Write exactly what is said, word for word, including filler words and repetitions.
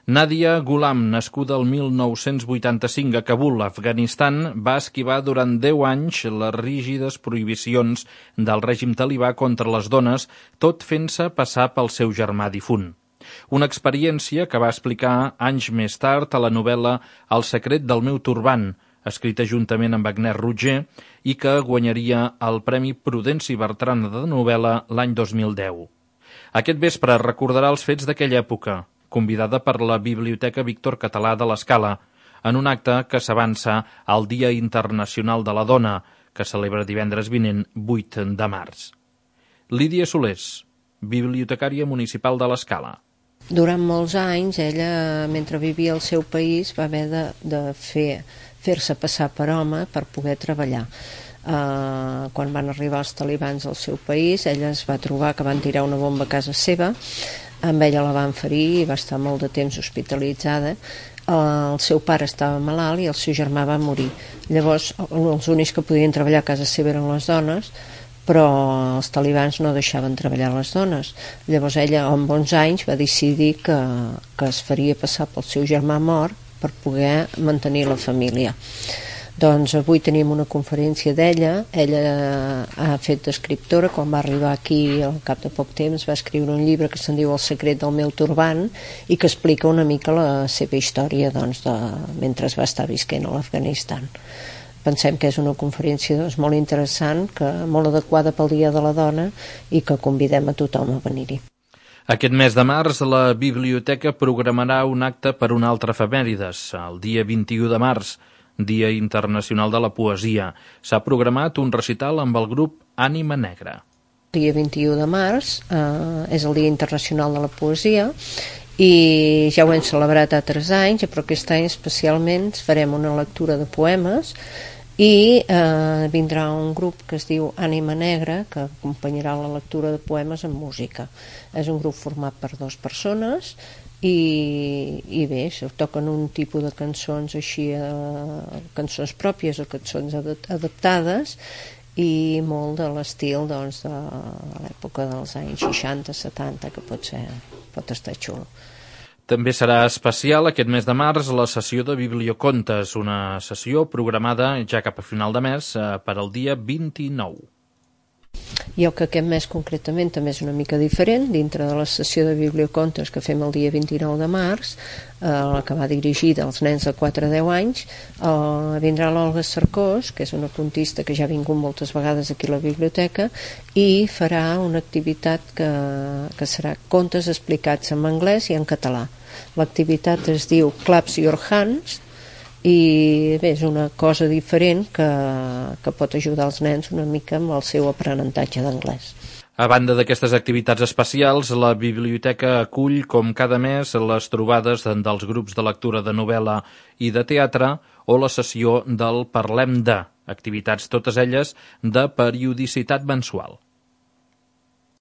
Nadia Ghulam, nascuda el mil nou-cents vuitanta-cinc a Kabul, Afganistan, va esquivar durant deu anys les rígides prohibicions del règim talibà contra les dones, tot fent-se passar pel seu germà difunt. Una experiència que va explicar anys més tard a la novel·la El secret del meu turbant, escrita juntament amb Agnès Rutger i que guanyaria el Premi Prudenci Bertrana de novel·la l'any dos mil deu. Aquest vespre recordarà els fets d'aquella època, convidada per la Biblioteca Víctor Català de l'Escala, en un acte que s'avança al Dia Internacional de la Dona, que celebra divendres vinent vuit de març. Lídia Solés, bibliotecària municipal de l'Escala. Durant molts anys, ella, mentre vivia al seu país, va haver de, de fer, fer-se passar per home per poder treballar. Uh, quan van arribar els talibans al seu país, ella es va trobar que van tirar una bomba a casa seva, amb ella la van ferir i va estar molt de temps hospitalitzada. Uh, el seu pare estava malalt i el seu germà va morir. Llavors, els únics que podien treballar a casa seva eren les dones, però els talibans no deixaven treballar les dones. Llavors ella, amb onze anys, va decidir que, que es faria passar pel seu germà mort per poder mantenir la família. Doncs avui tenim una conferència d'ella. Ella ha fet d'escriptora. Quan va arribar aquí, al cap de poc temps, va escriure un llibre que se'n diu El secret del meu turbant i que explica una mica la seva història, doncs, de, mentre va estar visquent a l'Afganistan. Pensem que és una conferència, doncs, molt interessant, que molt adequada pel Dia de la Dona i que convidem a tothom a venir-hi. Aquest mes de març la biblioteca programarà un acte per una altra efemèrides, el dia vint-i-u de març, Dia Internacional de la Poesia. S'ha programat un recital amb el grup Ànima Negra. El dia vint-i-u de març eh, és el Dia Internacional de la Poesia i ja ho hem celebrat altres anys, però aquest any especialment farem una lectura de poemes i eh, vindrà un grup que es diu Ànima Negra que acompanyarà la lectura de poemes amb música. És un grup format per dues persones i, i bé, se toquen un tipus de cançons així, eh, cançons pròpies o cançons adaptades i molt de l'estil, doncs, de l'època dels anys seixanta setanta, que pot ser, pot estar xulo. També serà especial aquest mes de març la sessió de Bibliocontes, una sessió programada ja cap a final de mes per al dia vint-i-nou. I el que aquest mes concretament també és una mica diferent, dintre de la sessió de Bibliocontes que fem el dia vint-i-nou de març, eh, la que va dirigida als nens de quatre a deu anys, eh, vindrà l'Olga Cercós, que és una contista que ja ha vingut moltes vegades aquí a la biblioteca, i farà una activitat que, que serà contes explicats en anglès i en català. L'activitat es diu Claps Your Hands i bé, és una cosa diferent que, que pot ajudar els nens una mica amb el seu aprenentatge d'anglès. A banda d'aquestes activitats especials, la biblioteca acull, com cada mes, les trobades dels grups de lectura de novel·la i de teatre o la sessió del Parlem de, activitats totes elles de periodicitat mensual.